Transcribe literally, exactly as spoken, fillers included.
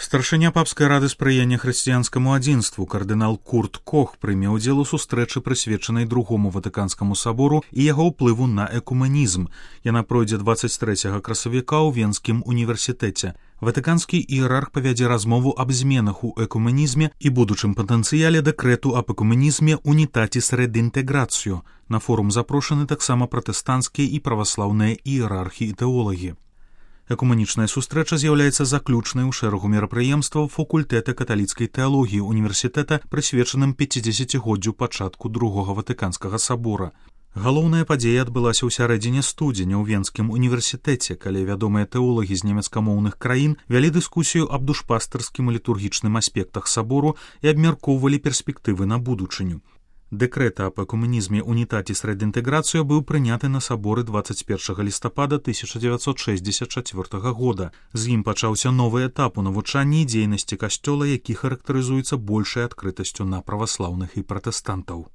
Старшыня папскай рады спрыяння хрысціянскаму адзінству кардынал Курт Кох прыме ўдзел у сустрэчы, прысвечанай другому ватыканскаму сабору і яго ўплыву на экумэнізм. Яна пройдзе дваццаць трэцяга красавіка ў Венскім універсітэце. Ватыканскі іерарх павядзе размову аб зменах у экумэнізме і будучым патэнцыяле дэкрэту аб экумэнізме «Унітаціс рединтеграцію». На форум запрошаны таксама пратэстанцкія і праваслаўныя іерархі і тэолагі. Экумэнічная сустрэча з'яўляецца заключнай у шэрагу мерапрыемстваў факультэта каталіцкай тэалогіі універсітэта, прысвечаным пяцідзесяцігоддзю пачатку другога ватыканскага сабора. Галоўная падзея адбылася ў сярэдзіне студзеня ў Венскім універсітэце, калі вядомыя тэолагі з нямецкамоўных краін вялі дыскусію аб душпастарскім і літургічным аспектах сабору і абмяркоўвалі перспектывы на будучыню. Дэкрэт аб экумэнізме «Унітаціс рединтеграцію» быў прыняты на саборы дваццаць першага лістапада тысяча дзевяцьсот шэсцьдзесят чацвёртага года. З ім пачаўся новы этап у навучанні і дзейнасці касцёла, які характарызуецца большай адкрытасцю на праваслаўных і пратэстантаў.